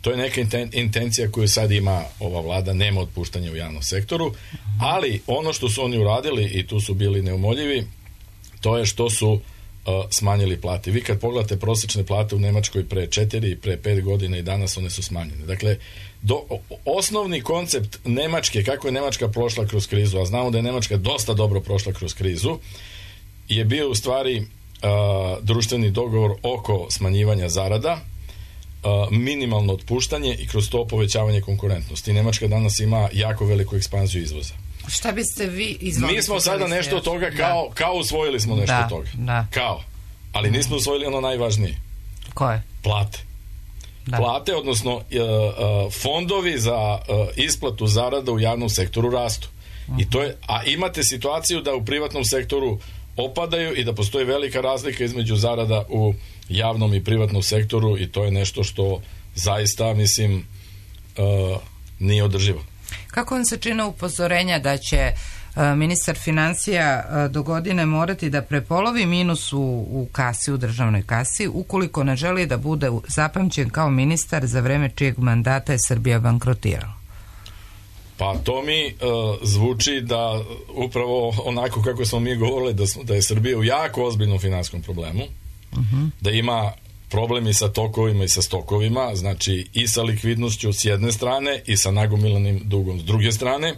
to je neka intencija koju sad ima ova vlada, nema otpuštanja u javnom sektoru, ali ono što su oni uradili, i tu su bili neumoljivi, to je što su uh, smanjili plate. Vi kad pogledate prosječne plate u Nemačkoj pre četiri i pre pet godina i danas one su smanjene. Dakle, do, osnovni koncept Nemačke, kako je Nemačka prošla kroz krizu, a znamo da je Nemačka dosta dobro prošla kroz krizu, je bio u stvari uh, društveni dogovor oko smanjivanja zarada, uh, minimalno otpuštanje i kroz to povećavanje konkurentnosti. Nemačka danas ima jako veliku ekspanziju izvoza. Šta biste vi izvolili? Mi smo sada nešto od toga kao, kao usvojili smo nešto da, od toga. Da. Kao. Ali nismo usvojili ono najvažnije. Koje? Plate. Da. Plate, odnosno uh, uh, fondovi za uh, isplatu zarada u javnom sektoru rastu. Uh-huh. I to je, a imate situaciju da u privatnom sektoru opadaju i da postoji velika razlika između zarada u javnom i privatnom sektoru i to je nešto što zaista, mislim, uh, nije održivo. Kako vam se čine upozorenja da će uh, ministar financija uh, do godine morati da prepolovi minus u, u kasi, u državnoj kasi, ukoliko ne želi da bude zapamćen kao ministar za vreme čijeg mandata je Srbija bankrotirala? Pa to mi uh, zvuči da upravo onako kako smo mi govorili da, smo, da je Srbija u jako ozbiljnom finanskom problemu, uh-huh. da ima problemi sa tokovima i sa stokovima, znači i sa likvidnošću s jedne strane i sa nagomilanim dugom s druge strane,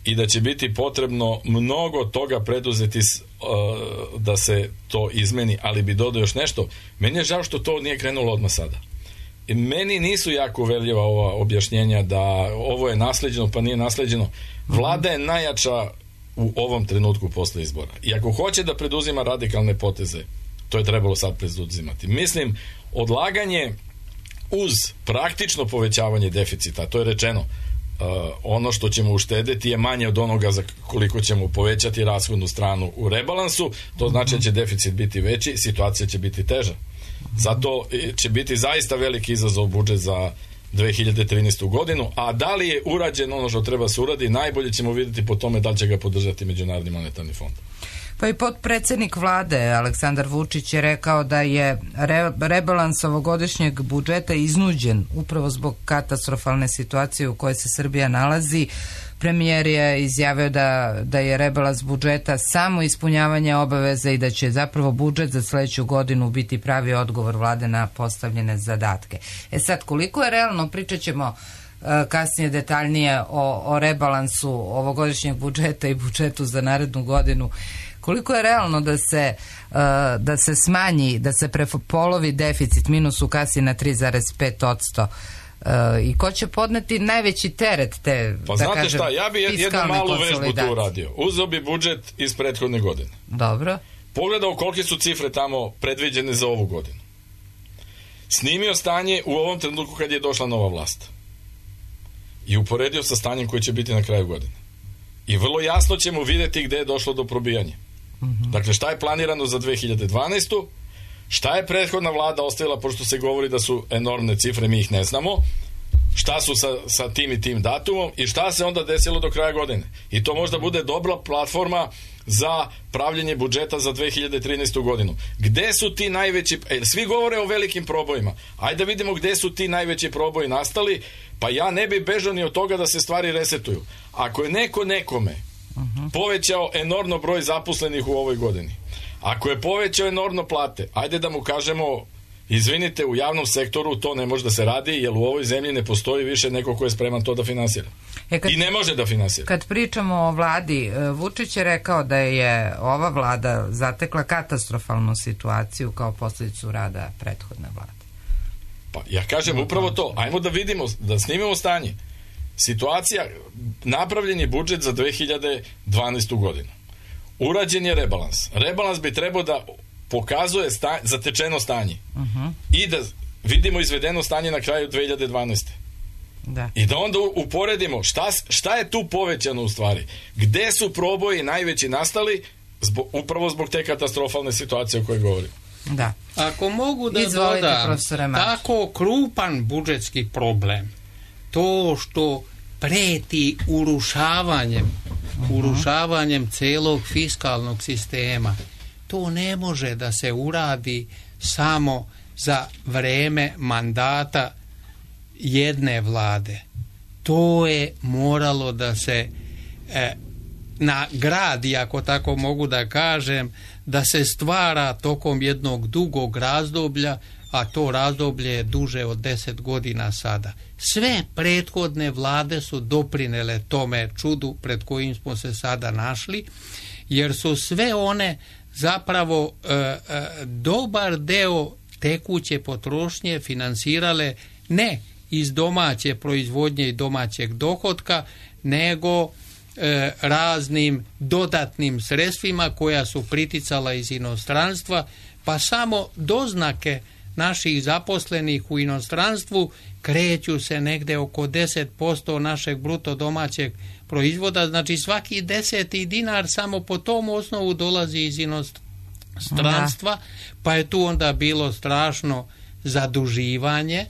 i da će biti potrebno mnogo toga preduzeti uh, da se to izmeni, ali bi dodao još nešto. Meni je žao što to nije krenulo odmah sada. I meni nisu jako uverljiva ova objašnjenja da ovo je nasleđeno pa nije nasleđeno. Vlada je najjača u ovom trenutku posle izbora. I ako hoće da preduzima radikalne poteze, to je trebalo sad preduzimati. Mislim, odlaganje uz praktično povećavanje deficita, to je rečeno, Uh, ono što ćemo uštedeti je manje od onoga za koliko ćemo povećati rashodnu stranu u rebalansu, to znači da će deficit biti veći, situacija će biti teža. Zato će biti zaista veliki izazov budžet za dve hiljade trinaestu godinu, a da li je urađeno ono što treba se uradi, najbolje ćemo vidjeti po tome da li će ga podržati Međunarodni monetarni fond. Pa i potpredsjednik vlade Aleksandar Vučić je rekao da je re, rebalans ovogodišnjeg budžeta iznuđen upravo zbog katastrofalne situacije u kojoj se Srbija nalazi. Premijer je izjavio da, da je rebalans budžeta samo ispunjavanje obaveza i da će zapravo budžet za sljedeću godinu biti pravi odgovor vlade na postavljene zadatke. E sad, koliko je realno, pričat ćemo kasnije detaljnije o, o rebalansu ovogodišnjeg budžeta i budžetu za narednu godinu. Koliko je realno da se, uh, da se smanji, da se prepolovi deficit minus u kasi na tri zarez pet posto uh, i ko će podneti najveći teret te, pa da znate kažem, šta, ja bi jednu malu vežbu tu uradio. Uzeo bi budžet iz prethodne godine. Dobro. Pogledao kolike su cifre tamo predviđene za ovu godinu. Snimio stanje u ovom trenutku kad je došla nova vlast. I uporedio sa stanjem koje će biti na kraju godine. I vrlo jasno ćemo vidjeti gdje je došlo do probijanja. Mm-hmm. Dakle, šta je planirano za dve hiljade dvanaestu, šta je prethodna vlada ostavila, pošto se govori da su enormne cifre, mi ih ne znamo, šta su sa, sa tim i tim datumom i šta se onda desilo do kraja godine. I to možda bude dobra platforma za pravljenje budžeta za dve hiljade trinaestu godinu. Gde su ti najveći, e, svi govore o velikim probojima, ajde da vidimo gde su ti najveći proboji nastali, pa ja ne bi bežao ni od toga da se stvari resetuju. Ako je neko nekome uh-huh. povećao enormno broj zaposlenih u ovoj godini, ako je povećao enormno plate, ajde da mu kažemo, izvinite, u javnom sektoru to ne može da se radi, jer u ovoj zemlji ne postoji više neko ko je spreman to da finansira. E kad, I ne može da finansira. Kad pričamo o vladi, Vučić je rekao da je ova vlada zatekla katastrofalnu situaciju kao posljedicu rada prethodne vlade. Pa ja kažem upravo to. Ajmo da vidimo, da snimimo stanje. Situacija, napravljen je budžet za dve hiljade dvanaestu godinu. Urađen je rebalans. Rebalans bi trebao da pokazuje sta, zatečeno stanje. Uh-huh. I da vidimo izvedeno stanje na kraju dve hiljade dvanaeste. Da. I da onda uporedimo šta, šta je tu povećano u stvari. Gde su proboji najveći nastali zbog, upravo zbog te katastrofalne situacije o kojoj govorim. Da. Ako mogu da Izvolite, dodam, tako krupan budžetski problem, to što preti urušavanjem, uh-huh. urušavanjem celog fiskalnog sistema, to ne može da se uradi samo za vreme mandata jedne vlade. To je moralo da se e, nagradi, ako tako mogu da kažem, da se stvara tokom jednog dugog razdoblja, a to razdoblje je duže od deset godina sada. Sve prethodne vlade su doprinele tome čudu pred kojim smo se sada našli, jer su sve one zapravo e, e, dobar deo tekuće potrošnje finansirale ne iz domaće proizvodnje i domaćeg dohotka, nego e, raznim dodatnim sredstvima koja su priticala iz inostranstva, pa samo doznake naših zaposlenih u inostranstvu kreću se negde oko deset posto našeg bruto domaćeg proizvoda, znači svaki deseti dinar samo po tom osnovu dolazi iz inostranstva, da. Pa je tu onda bilo strašno zaduživanje,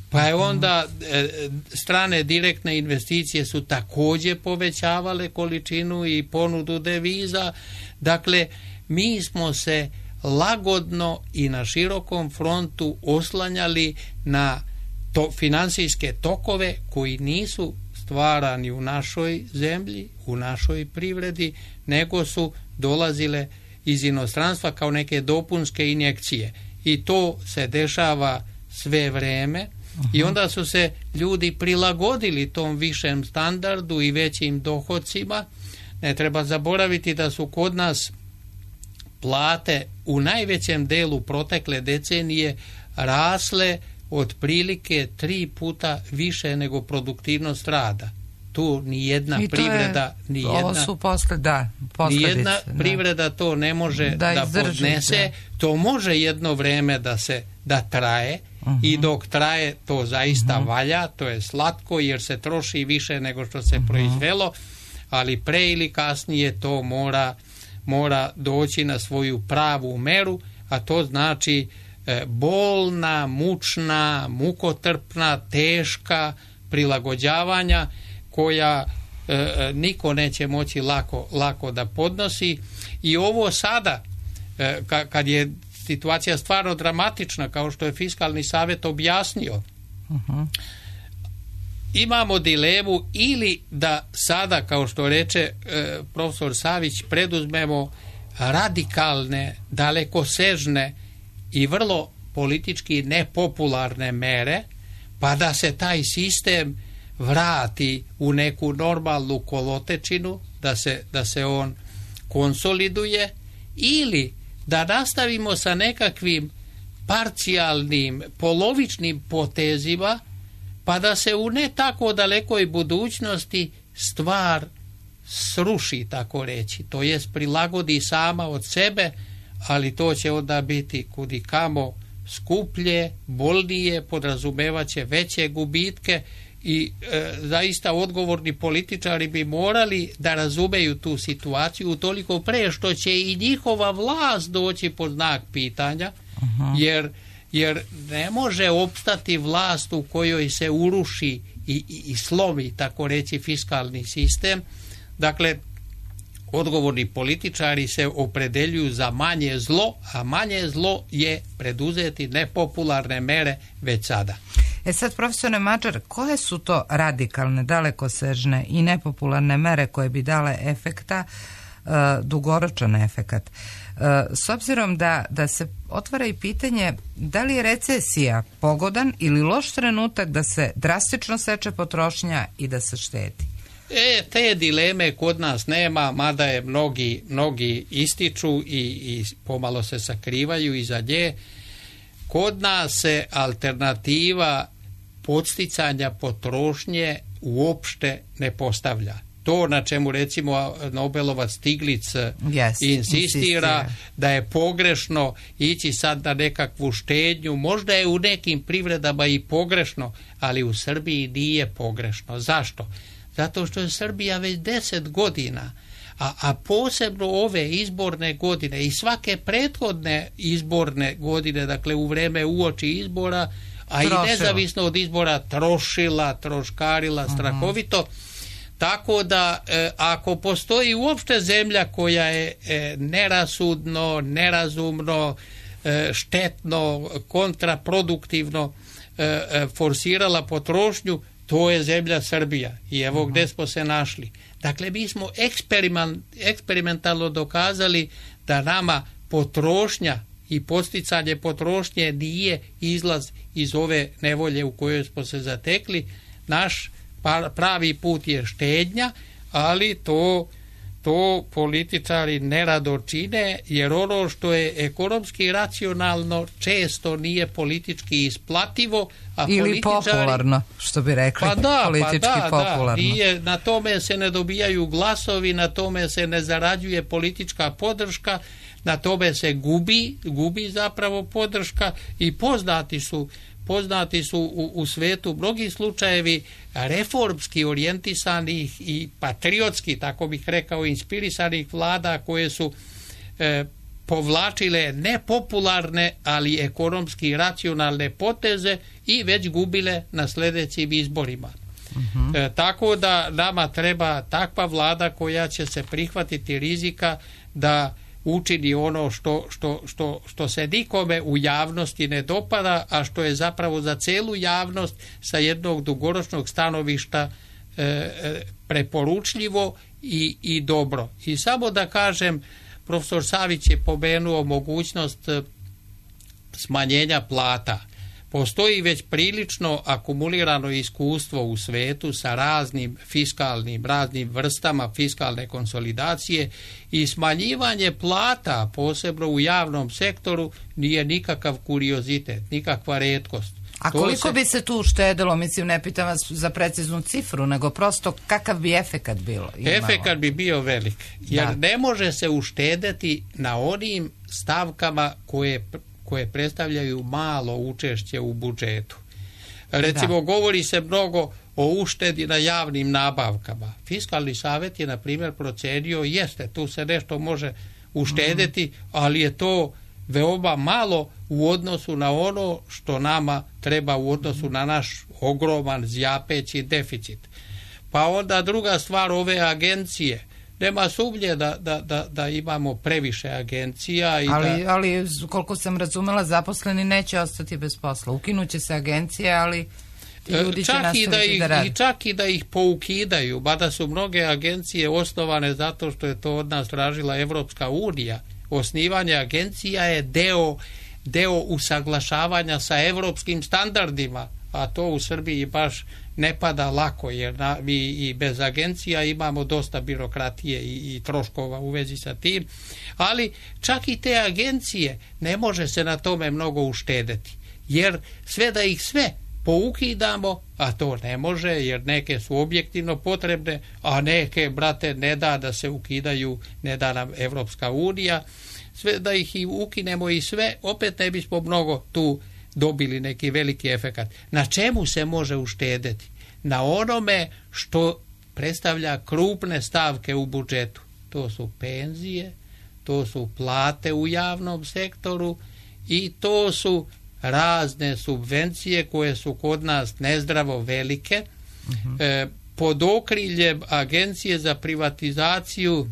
pa je onda e, strane direktne investicije su također povećavale količinu i ponudu deviza. Dakle, mi smo se lagodno i na širokom frontu oslanjali na to, finansijske tokove koji nisu stvarani u našoj zemlji, u našoj privredi, nego su dolazile iz inostranstva kao neke dopunske injekcije. I to se dešava sve vreme. Uh-huh. I onda su se ljudi prilagodili tom višem standardu i većim dohodcima. Ne treba zaboraviti da su kod nas plate u najvećem delu protekle decenije rasle otprilike tri puta više nego produktivnost rada. Tu ni jedna privreda, ni jedna, su posle, da, ni jedna privreda to ne može da, da podnese. Da. To može jedno vreme da se da traje, uh-huh. i dok traje to zaista uh-huh. valja, to je slatko jer se troši više nego što se uh-huh. proizvelo, ali pre ili kasnije to mora, mora doći na svoju pravu meru, a to znači e, bolna, mučna, mukotrpna, teška prilagođavanja koja e, niko neće moći lako, lako da podnosi. I ovo sada, e, ka, kad je situacija stvarno dramatična, kao što je Fiskalni savjet objasnio, uh-huh. imamo dilemu ili da sada, kao što reče e, profesor Savić, preduzmemo radikalne, dalekosežne i vrlo politički nepopularne mere, pa da se taj sistem vrati u neku normalnu kolotečinu, da se, da se on konsoliduje, ili da nastavimo sa nekakvim parcijalnim, polovičnim potezima, pa da se u ne tako dalekoj budućnosti stvar sruši, tako reći, to jest prilagodi sama od sebe, ali to će onda biti kudikamo skuplje, bolnije, podrazumevaće veće gubitke i e, zaista odgovorni političari bi morali da razumeju tu situaciju utoliko pre što će i njihova vlast doći pod znak pitanja, uh-huh. jer, jer ne može opstati vlast u kojoj se uruši i, i, i slomi, tako reći, fiskalni sistem. Dakle, odgovorni političari se opredeljuju za manje zlo, a manje zlo je preduzeti nepopularne mere već sada. E sad, profesore Mađar, koje su to radikalne, dalekosežne i nepopularne mere koje bi dale efekta, uh, dugoročan efekat? Uh, s obzirom da, da se otvara i pitanje da li je recesija pogodan ili loš trenutak da se drastično seče potrošnja i da se štedi? E, te dileme kod nas nema, mada je mnogi, mnogi ističu i, i pomalo se sakrivaju iza nje. Kod nas se alternativa podsticanja potrošnje uopšte ne postavlja. To na čemu recimo Nobelovac Stiglic yes, insistira, insistira da je pogrešno ići sad na nekakvu štednju, možda je u nekim privredama i pogrešno, ali u Srbiji nije pogrešno. Zašto? Zato što je Srbija već deset godina, a, a posebno ove izborne godine i svake prethodne izborne godine, dakle u vreme uoči izbora, a Trošila. i nezavisno od izbora trošila, troškarila, strahovito. Uh-huh. Tako da e, ako postoji uopšte zemlja koja je e, nerasudno, nerazumno, e, štetno, kontraproduktivno e, e, forsirala potrošnju, to je zemlja Srbija. I evo uh-huh. gde smo se našli. Dakle, mi smo eksperiment, eksperimentalno dokazali da nama potrošnja i podsticanje potrošnje nije izlaz iz ove nevolje u kojoj smo se zatekli. Naš pravi put je štednja, ali to, to političari nerado čine, jer ono što je ekonomski racionalno često nije politički isplativo, a ili političari, popularno, što bi rekli, pa da, politički pa da, popularno. Da, nije, na tome se ne dobijaju glasovi, na tome se ne zarađuje politička podrška, na tome se gubi, gubi zapravo podrška i poznati su poznati su u, u svetu mnogi slučajevi reformski orijentisanih i patriotski, tako bih rekao, inspirisanih vlada koje su e, povlačile nepopularne, ali ekonomski racionalne poteze i već gubile na sljedećim izborima. Uh-huh. E, tako da nama treba takva vlada koja će se prihvatiti rizika da učini ono što, što, što, što se nikome u javnosti ne dopada, a što je zapravo za celu javnost sa jednog dugoročnog stanovišta e, preporučljivo i, i dobro. I samo da kažem, profesor Savić je pomenuo mogućnost smanjenja plata. Postoji već prilično akumulirano iskustvo u svetu sa raznim fiskalnim, raznim vrstama fiskalne konsolidacije i smanjivanje plata, posebno u javnom sektoru, nije nikakav kuriozitet, nikakva retkost. A koliko se... bi se tu uštedilo, mislim, ne pitam vas za preciznu cifru, nego prosto kakav bi efekat bilo? Imalo? Efekat bi bio velik, jer da. ne može se uštedeti na onim stavkama koje koje predstavljaju malo učešće u budžetu. Recimo, da. govori se mnogo o uštedi na javnim nabavkama. Fiskalni savjet je, na primjer, procenio, jeste, tu se nešto može uštedeti, mm-hmm. ali je to veoma malo u odnosu na ono što nama treba u odnosu na naš ogroman zjapeći deficit. Pa onda druga stvar, ove agencije. Nema sumnje da, da, da, da imamo previše agencija. I ali, da... ali koliko sam razumela, zaposleni neće ostati bez posla. Ukinuće se agencije, ali ljudi će nastaviti da, ih, da rade. I čak i da ih poukidaju, mada su mnoge agencije osnovane zato što je to od nas tražila Evropska unija. Osnivanje agencija je deo, deo usaglašavanja sa evropskim standardima, a to u Srbiji baš ne pada lako, jer na, mi i bez agencija imamo dosta birokratije i, i troškova u vezi sa tim, ali čak i te agencije ne može se na tome mnogo uštedeti, jer sve da ih sve poukidamo, a to ne može, jer neke su objektivno potrebne, a neke, brate, ne da da se ukidaju, ne da nam Evropska unija, sve da ih i ukinemo i sve, opet ne bismo mnogo tu dobili neki veliki efekat. Na čemu se može uštedeti? Na onome što predstavlja krupne stavke u budžetu. To su penzije, to su plate u javnom sektoru i to su razne subvencije koje su kod nas nezdravo velike. Uh-huh. E, pod okriljem Agencije za privatizaciju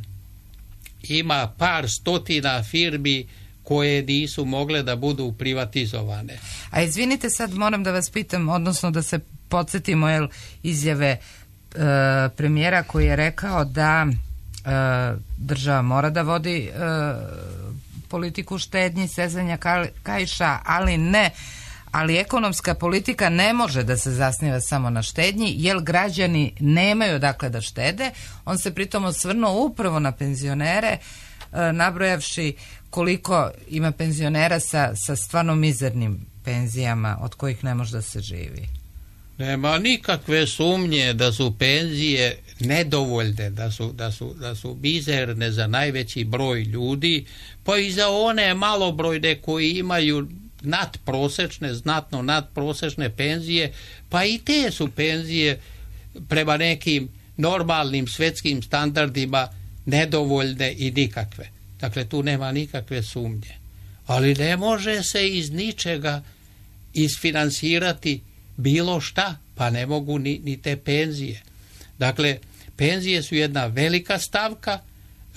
ima par stotina firmi koje nisu mogle da budu privatizovane. A izvinite, sad moram da vas pitam, odnosno da se podsjetimo jel, izjave e, premijera koji je rekao da e, država mora da vodi e, politiku štednji, sezanja kaiša, ali ne, ali ekonomska politika ne može da se zasniva samo na štednji, jer građani nemaju dakle da štede. On se pritom osvrnuo upravo na penzionere, nabrojavši koliko ima penzionera sa, sa stvarno mizernim penzijama od kojih ne može da se živi. Nema nikakve sumnje da su penzije nedovoljne, da su, da su, da su mizerne za najveći broj ljudi, pa i za one malobrojne koji imaju nadprosečne, znatno nadprosečne penzije, pa i te su penzije prema nekim normalnim svetskim standardima nedovoljne i nikakve. Dakle, tu nema nikakve sumnje. Ali ne može se iz ničega isfinansirati bilo šta, pa ne mogu ni, ni te penzije. Dakle, penzije su jedna velika stavka,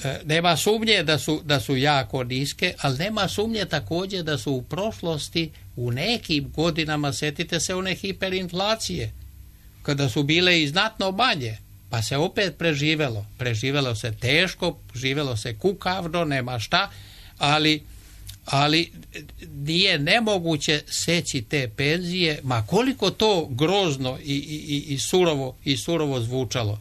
e, nema sumnje da su, da su jako niske, ali nema sumnje također da su u prošlosti u nekim godinama, setite se one hiperinflacije, kada su bile i znatno manje, pa se opet preživelo. Preživelo se teško, živelo se kukavno, nema šta, ali, ali nije nemoguće seći te penzije, ma koliko to grozno i, i, i, surovo, i surovo zvučalo.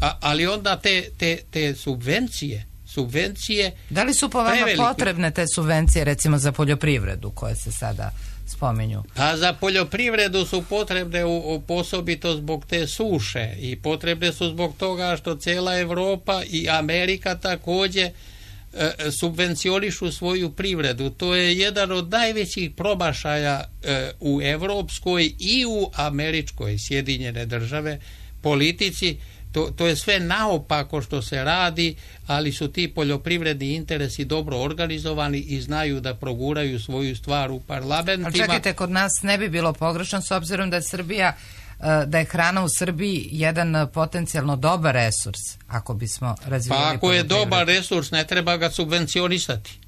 A, ali onda te, te, te subvencije, subvencije... Da li su po vama prevelike potrebne te subvencije, recimo za poljoprivredu, koje se sada spominju? Pa za poljoprivredu su potrebne u, u posobito zbog te suše i potrebne su zbog toga što cijela Evropa i Amerika također e, subvencionišu svoju privredu. To je jedan od najvećih promašaja e, u evropskoj i u američkoj, Sjedinjene države, politici. To, to je sve naopako što se radi, ali su ti poljoprivredni interesi dobro organizovani i znaju da proguraju svoju stvar u parlamentima. Ali čekajte, kod nas ne bi bilo pogrešno s obzirom da je Srbija, da je hrana u Srbiji jedan potencijalno dobar resurs, ako bismo razvijali pa ako je dobar resurs, ne treba ga subvencionisati.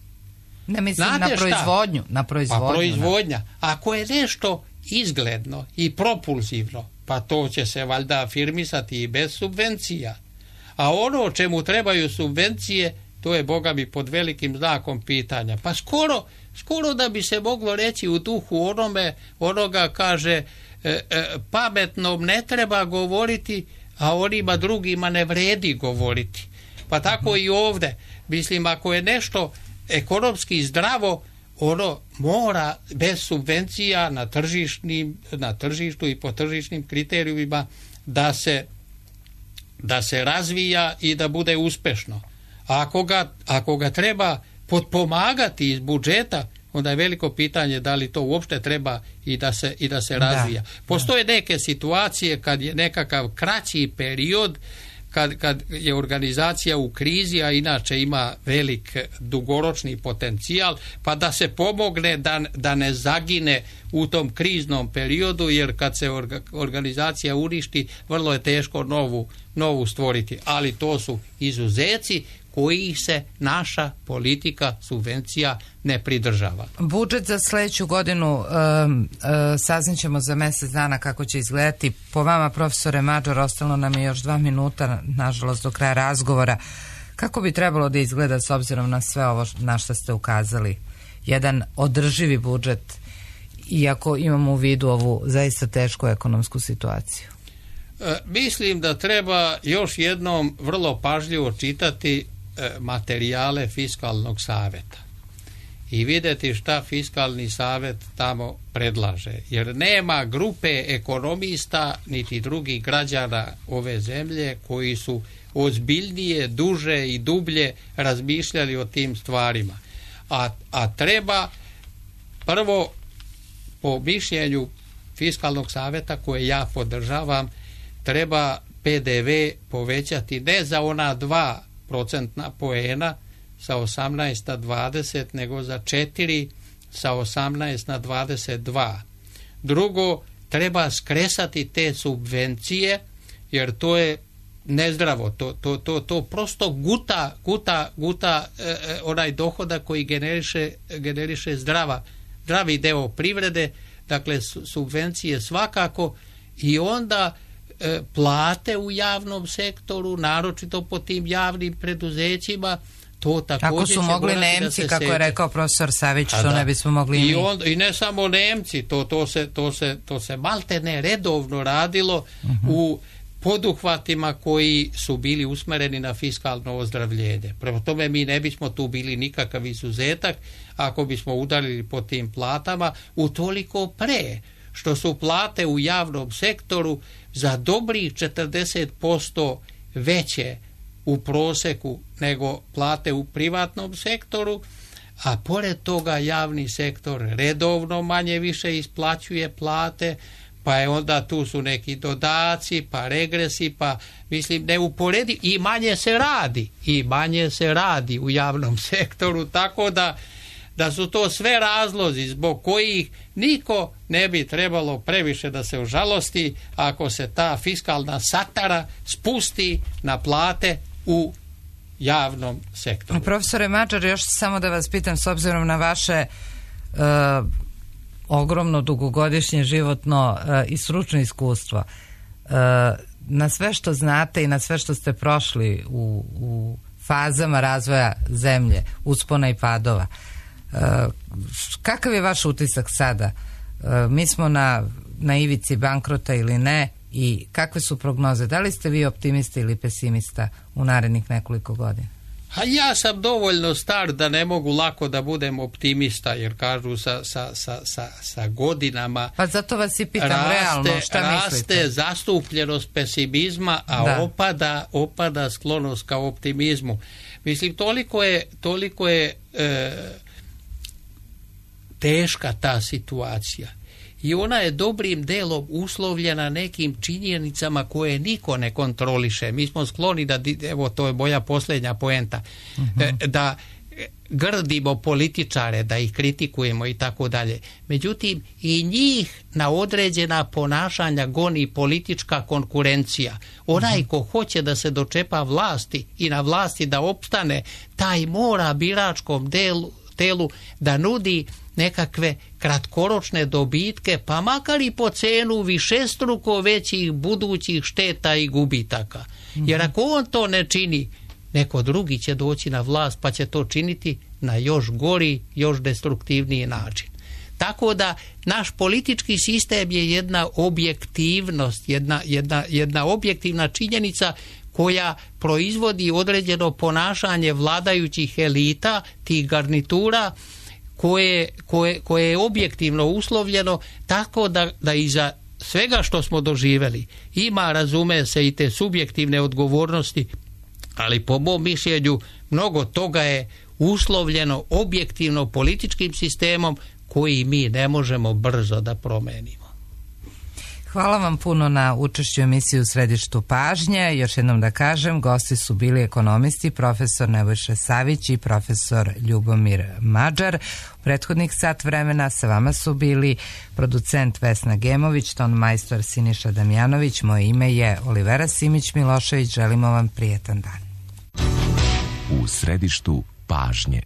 Ne mislim Znate na proizvodnju, na proizvodnju. Pa proizvodnja. Ako je nešto izgledno i propulzivno, pa to će se valjda afirmisati i bez subvencija. A ono o čemu trebaju subvencije, to je, boga mi, pod velikim znakom pitanja. Pa skoro, skoro da bi se moglo reći u duhu onome, onoga kaže, e, e, pametnom ne treba govoriti, a onima drugima ne vredi govoriti. Pa tako i ovdje. Mislim, ako je nešto ekonomski zdravo, ono mora bez subvencija na tržišnim, na tržištu i po tržišnim kriterijima da se, da se razvija i da bude uspešno. A ako ga, ako ga treba potpomagati iz budžeta, onda je veliko pitanje da li to uopšte treba i da se, i da se razvija. Da, Postoje da. neke situacije kad je nekakav kraći period, kad, kad je organizacija u krizi, a inače ima velik dugoročni potencijal, pa da se pomogne da, da ne zagine u tom kriznom periodu, jer kad se orga, organizacija uništi, vrlo je teško novu, novu stvoriti. Ali to su izuzeci koji se naša politika subvencija ne pridržava. Budžet za sljedeću godinu um, uh, saznat ćemo za mjesec dana kako će izgledati. Po vama, profesore Mađor, ostalo nam je još dva minuta, nažalost, do kraja razgovora. Kako bi trebalo da izgleda s obzirom na sve ovo na što ste ukazali? Jedan održivi budžet, iako imamo u vidu ovu zaista tešku ekonomsku situaciju. E, mislim da treba još jednom vrlo pažljivo čitati materijale Fiskalnog saveta i vidjeti šta Fiskalni savet tamo predlaže, jer nema grupe ekonomista niti drugih građana ove zemlje koji su ozbiljnije, duže i dublje razmišljali o tim stvarima, a, a treba prvo, po mišljenju Fiskalnog saveta koje ja podržavam, treba P D V povećati ne za ona dva procentna poena sa osamnaest na dvadeset, nego za četiri sa osamnaest na dvadeset dva. Drugo, treba skresati te subvencije, jer to je nezdravo, to, to, to, to prosto guta, guta, guta e, onaj dohodak koji generiše, generiše zdrava, zdravi deo privrede, dakle subvencije svakako, i onda plate u javnom sektoru, naročito po tim javnim preduzećima, to također kako su mogli Nemci, kako je rekao profesor Savić, što ne bismo mogli i, on, i ne samo Nemci, to, to, se, to, se, to se malte ne redovno radilo uh-huh. u poduhvatima koji su bili usmereni na fiskalno ozdravljenje. Prema tome mi ne bismo tu bili nikakav izuzetak ako bismo udarili po tim platama, utoliko pre što su plate u javnom sektoru za dobrih četrdeset posto veće u proseku nego plate u privatnom sektoru, a pored toga javni sektor redovno manje više isplaćuje plate, pa je onda tu su neki dodaci, pa regresi, pa mislim neuporedi, i manje se radi, i manje se radi u javnom sektoru, tako da da su to sve razlozi zbog kojih niko ne bi trebalo previše da se užalosti ako se ta fiskalna satara spusti na plate u javnom sektoru. Profesore Mađar, još samo da vas pitam, s obzirom na vaše uh, ogromno dugogodišnje životno uh, i stručno iskustvo, uh, na sve što znate i na sve što ste prošli u, u fazama razvoja zemlje, uspona i padova, Uh, kakav je vaš utisak sada? Uh, mi smo na, na ivici bankrota ili ne, i kakve su prognoze? Da li ste vi optimista ili pesimista u narednih nekoliko godina? A ja sam dovoljno star da ne mogu lako da budem optimista, jer kažu sa, sa, sa, sa, sa godinama pa zato vas i pitam raste, realno šta raste mislite? Zastupljenost pesimizma, a da. opada, opada sklonost ka optimizmu. Mislim, toliko je, toliko je e, teška ta situacija i ona je dobrim delom uslovljena nekim činjenicama koje niko ne kontroliše. Mi smo skloni da, evo to je moja posljednja poenta, uh-huh. da grdimo političare, da ih kritikujemo i tako dalje. Međutim, i njih na određena ponašanja goni politička konkurencija. Onaj ko hoće da se dočepa vlasti i na vlasti da opstane, taj mora biračkom delu, telu da nudi nekakve kratkoročne dobitke, pa makar i po cenu višestruko većih budućih šteta i gubitaka. Jer ako on to ne čini, neko drugi će doći na vlast pa će to činiti na još gori, još destruktivniji način. Tako da naš politički sistem je jedna objektivnost, jedna, jedna, jedna objektivna činjenica koja proizvodi određeno ponašanje vladajućih elita, tih garnitura, koje, koje, koje je objektivno uslovljeno, tako da, da iza svega što smo doživjeli ima, razume se, i te subjektivne odgovornosti, ali po mom mišljenju mnogo toga je uslovljeno objektivno političkim sistemom koji mi ne možemo brzo da promenimo. Hvala vam puno na učešću emisiji U središtu pažnje. Još jednom da kažem, gosti su bili ekonomisti, profesor Nebojša Savić i profesor Ljubomir Mađar. U prethodnih sat vremena sa vama su bili producent Vesna Gemović, ton majstor Siniša Damjanović. Moje ime je Olivera Simić-Milošević. Želimo vam prijetan dan. U središtu pažnje.